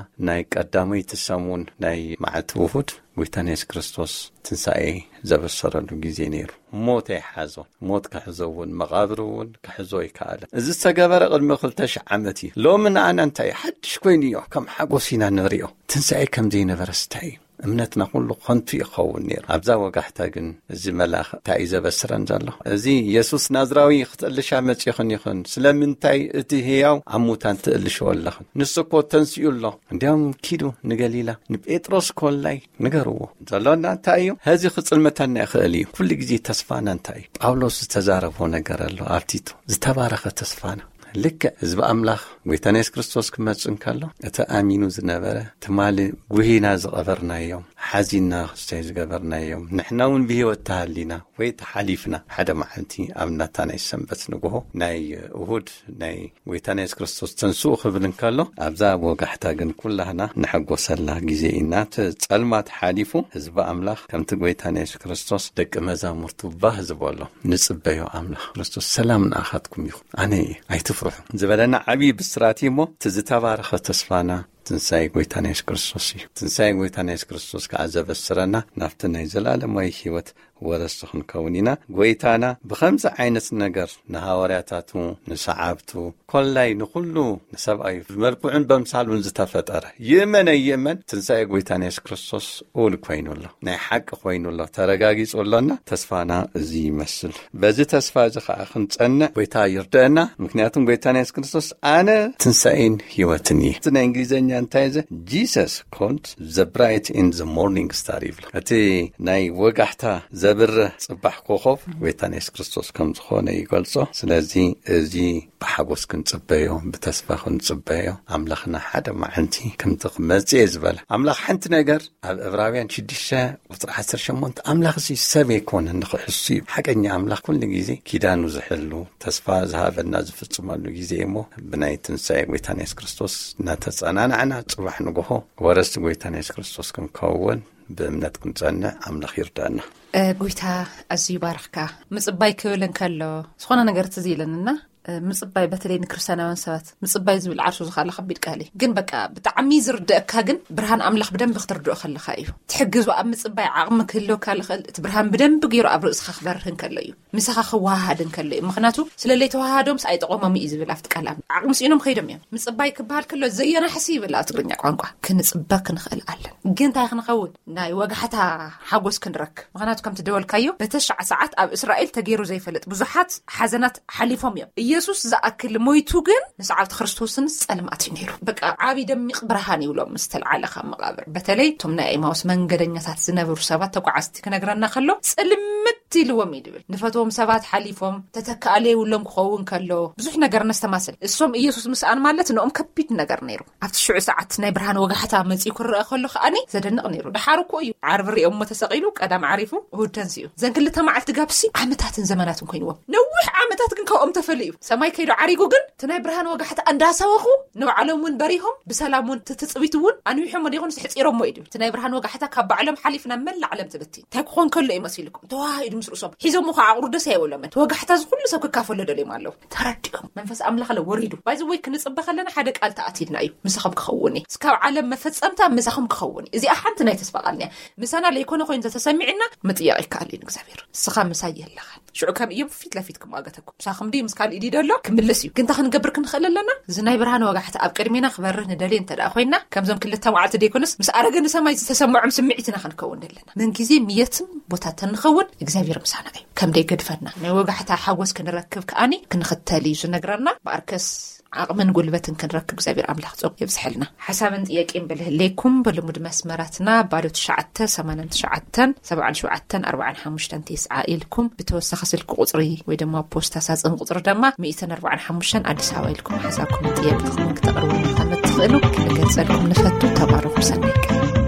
ናይ ቀዳመይቲ ሰሙን ናይ መዓልቲ ውሁድ ጎይታና የሱስ ክርስቶስ ትንሳኤ ዘበሰረሉ ግዜ ነይሩ። ሞት ኣይሓዞ። ሞት ክሕዞ እውን፣ መቓብር እውን ክሕዞ ኣይከኣለ። እዚ ዝተገበረ ቅድሚ ክልተ ሽሕ ዓመት እዩ። ሎሚ ንኣና እንታይ ሓድሽ ኮይኑ እዮ፣ ከም ሓጎስ ኢና ንሪኦ። ትንሳኤ ከም ዘይነበረ ስታይ እዩ። እምነትና ኩሉ ከንቱ ይኸውን ነይሩ። ኣብዛ ወጋሕታ ግን እዚ መልኣኽ እንታይ እዩ ዘበስረን ዘሎ? እዚ የሱስ ናዝራዊ ክትእልሻ መጺኹን ይኹን፣ ስለምንታይ እቲ ህያው ኣብ ሙታን ትእልሽዎ ኣለኽን? ንሱ እኮ ተንሲኡ ኣሎ። እንዲያውም ኪዱ ንገሊላ፣ ንጴጥሮስ ኮላይ ንገርዎ። ዘሎና እንታይ እዩ? ሀዚ ክጽልመተና ይኽእል እዩ። ኩሉ ግዜ ተስፋና እንታይ እዩ? ጳውሎስ ዝተዛረቦ ነገር ኣሎ ኣብ ቲቶ። ዝተባረኸ ተስፋና። ልክዕ ህዝቢ ኣምላኽ ጎይታና የሱስ ክርስቶስ ክመጽእ እንከሎ፣ እቲ ኣሚኑ ዝነበረ፣ ትማሊ ጉሂና ዝቐበርናዮም፣ ሓዚንና ክስታይ ዝገበርናዮም፣ ንሕና እውን ብህይወት ተሃሊና ወይ ተሓሊፍና፣ ሓደ መዓልቲ ኣብ ናታ ናይ ሰንበት ንግሆ ናይ እሁድ ናይ ጎይታና የሱስ ክርስቶስ ተንስኡ ክብል እንከሎ፣ ኣብዛ ወጋሕታ ግን ኩላህና ንሐጎሰላ ግዜ ኢና። እቲ ጸልማት ሓሊፉ ህዝቢ ኣምላኽ ከምቲ ጎይታና የሱስ ክርስቶስ ደቂ መዛሙርቱ ባህ ዝበሎ ንጽበዮ ኣምላኽ ክርስቶስ ሰላም ንኣኻትኩም ይኹን። ኣነ እየ፣ ኣይትፍርሑ ዝበለና ዓብዪ ብስራት እዩ እሞ፣ እቲ ዝተባረኸ ተስፋና ትንሳኤ ጎይታና የሱስ ክርስቶስ እዩ። ትንሳኤ ጎይታና የሱስ ክርስቶስ ከዓ ዘበስረና ናብቲ ናይ ዘላለማዊ ህይወት ወረስቲ ክንከውን ኢና። ጎይታና ብኸምዚ ዓይነት ነገር ንሃዋርያታቱ፣ ንሰዓብቱ፣ ኮላይ ንኹሉ ንሰብኣዩ ብመልክዑን በምሳሉን ዝተፈጠረ ይእመን ኣይእመን ትንሳኤ ጎይታና የሱስ ክርስቶስ እውን ኮይኑ ኣሎ። ናይ ሓቂ ኮይኑ ኣሎ። ተረጋጊጹ ኣሎና። ተስፋና እዚ ይመስል። በዚ ተስፋ እዚ ከዓ ክንጸንዕ ጎይታ ይርድአና። ምክንያቱም ጎይታና የሱስ ክርስቶስ ኣነ ትንሳኤን ህይወትን እየ። እቲ ናይ እንግሊዝኛ እንታይ ዘ Jesus called the bright in the morning star ይብሎ። እቲ ናይ ወጋሕታ ዘብርህ ጽባሕ ኮኸብ ጎይታና የሱስ ክርስቶስ ከም ዝኾነ ይገልጾ። ስለዚ እዚ ብሓጎስ ክንጽበዮ፣ ብተስፋ ክንጽበዮ፣ ኣምላኽና ሓደ መዓልቲ ከምቲ ክመጽእ እየ ዝበለ። ኣምላኽ ሓንቲ ነገር ኣብ ዕብራውያን ሽዱሽተ ቁጽሪ ዓሰርተ ሸሞንተ ኣምላኽ እዚ ሰብ ኣይኮነን ንኽሕሱ እዩ። ሓቀኛ ኣምላኽ ኩሉ ግዜ ኪዳኑ ዝሕሉ፣ ተስፋ ዝሃበና ዝፍጽመሉ ግዜ እሞ፣ ብናይ ትንሳኤ ጎይታና የሱስ ክርስቶስ እናተጸናናዕና ጽባሕ ንግሆ ወረስቲ ጎይታና የሱስ ክርስቶስ ክንከውን ብእምነት ክንጸንዕ ኣምላኽ ይርዳና። እ፣ ጎይታ ኣዝዩ ይባርኽካ። ምጽባይ ክብል እንከሎ ዝኾነ ነገር ትዝ ኢለንና፣ እ፣ ምጽባይ በተለይ ንክርስትያናውያን ሰባት ምጽባይ ዝብል ዓርሱ ዝኻለ ከቢድ ቃል እዩ። ግን በቃ ብጣዕሚ ዝርደአካ ግን ብርሃን ኣምላኽ ብደንብ ክትርድኦ ከለኻ እዩ። ትሕግዙ ኣብ ምጽባይ ዓቕሚ ክህልወካ ልኽእል እቲ ብርሃን ብደንብ ገይሩ ኣብ ርእስኻ ክበርህ እንከሎ እዩ። ምሳኻ ክወሃሃድ እንከሎ እዩ። ምኽንያቱ ስለ ለይተወሃሃዶምስ ኣይጠቐሞም እዩ ዝብል ኣብቲ ቃል ኣምላኽ። ዓቕሚ ስኢኖም ከይዶም እዮም። ምጽባይ ክበሃል ከሎ ዘየናሕሲ ይብል ኣብ ትግርኛ ቋንቋ። ክንጽበ ክንኽእል ኣለን። ግን እንታይ ክንኸውን? ናይ ወጋሕታ ሓጎስ ክንረክብ። ምኽንያቱ ከምቲ ደወልካዮ በተሻዕ ሰዓት ኣብ እስራኤል ተገይሩ ዘይፈልጥ ብዙሓት ሓዘናት ሓሊፎም እዮም። ኢየሱስ ዝኣክል ሞይቱ ግን ንሰዓብቲ ክርስቶስን ጸልማት እዩ ነይሩ። በቃ ዓቢ ደሚቕ ብርሃን ይብሎም ምስ ተልዓለ ካብ መቓብር። በተለይ እቶም ናይ ኤማውስ መንገደኛታት ዝነበሩ ሰባት ተጓዓዝቲ ክነግረና ከሎ ጽልምት ኢልዎም እዩ ድብል። ንፈትዎም ሰባት ሓሊፎም ተተካኣለ ይብሎም ክኸውን ከሎ ብዙሕ ነገር ነስተማስል። እሶም ኢየሱስ ምስኣን ማለት ንኦም ከቢድ ነገር ነይሩ። ኣብቲ ሽዑ ሰዓት ናይ ብርሃን ወጋሕታ መጺኡ ክረአ ከሎ ከኣኒ ዘደንቕ ነይሩ። ደሓር እኮ እዩ። ዓርቢ ሪኦሞ ተሰቒሉ፣ ቀዳም ዓሪፉ፣ እሁድ ተንሲኡ። ዘን ክልተ መዓልቲ ጋብሲ ዓመታትን ዘመናትን ኮይንዎም። ነዊሕ ዓመታት ግን ካብኦም ተፈልዩ። ሰማይ ከይዱ ዓሪጉ ግን እቲ ናይ ብርሃን ወጋሕታ እንዳሰበኹ ንባዕሎም እውን በሪሆም፣ ብሰላም እውን እቲ ትጽቢት እውን ኣንዊሖሞ ደይኮኑስ ሕጺሮሞ እዩ ድብል። እቲ ናይ ብርሃን ወጋሕታ ካብ ባዕሎም ሓሊፍ ናብ መላእ ዓለም ትብቲ። እንታይ ክኾን ከሎ እዩ መሲልኩም? ተዋሂዱ ምስ ርእሶም። ሒዞሞ ከዓ ኣቑሩ ደስ ኣይበሎምን። እቲ ወጋሕታ እዚ ኩሉ ሰብ ክካፈሎ ደልዮም ኣለዉ። ተረዲኦም። መንፈስ ኣምላኽ ለ ወሪዱ። ባይ ዘ ወይ ክንጽበ ከለና ሓደ ቃል ተኣቲልና እዩ። ምሳኹም ክኸውን እዩ። እስካብ ዓለም መፈጸምታ ምሳኹም ክኸውን እዩ። እዚኣ ሓንቲ ናይ ተስፋ ቃል እያ። ምሳና ለይኮነ ኮይኑ እንተተሰሚዕና ምጥያቕ ይከኣል እዩ ንእግዚኣብሔር። ንስኻ ምሳይ የለኻን። ሽዑ ከም እዮም ፊት ለፊት ክመዋገተኩም። ምሳኹም ድዩ ምስ ካልእ ድዩ ደሎ? ክምልስ እዩ። ግን እንታይ ክንገብር ክንኽእል ኣለና? እዚ ናይ ብርሃን ወጋሕታ ኣብ ቅድሜና ክበርህ ንደልየ እንተ ደኣ ኮይና፣ ከምዞም ክልተ መዓልቲ ደይኮነስ ምስ ኣረገ ንሰማይ ዝተሰምዖም ስምዒት ኢና ክንከውን ዘለና። ምን ግዜ ምየትም ቦታ ተንኸውን እግዚኣብሔር ምሳና እዩ። ከም ደይገድፈና። ናይ ወጋሕታ ሓጎስ ክንረክብ ከኣኒ ክንኽተል እዩ ዝነግረና። ብኣርከስ ዓቕምን ጉልበትን ክንረክብ እግዚኣብሔር ኣምላኽ ጸጉ የብዝሐልና። ሓሳብን ጥያቄን ብልህሌኩም ብልሙድ መስመራትና ባዶ ትሽዓተ ሰማንያን ትሽዓተን ሰብዓን ሸውዓተን ኣርባዓን ሓሙሽተን ተስዓ ኢልኩም ብተወሳኺ ስልኪ ቁጽሪ ወይ ድማ ፖስታ ሳጽን ቁጽሪ ድማ ሚእትን ኣርባዓን ሓሙሽተን ኣዲስ ኣበባ ኢልኩም ሓሳብኩም ጥያቄኹምን ክተቕርቡልና ከም እትኽእሉ ክንገልጸልኩም ንፈቱ። ተባረኹ። ሰናይ ቀን።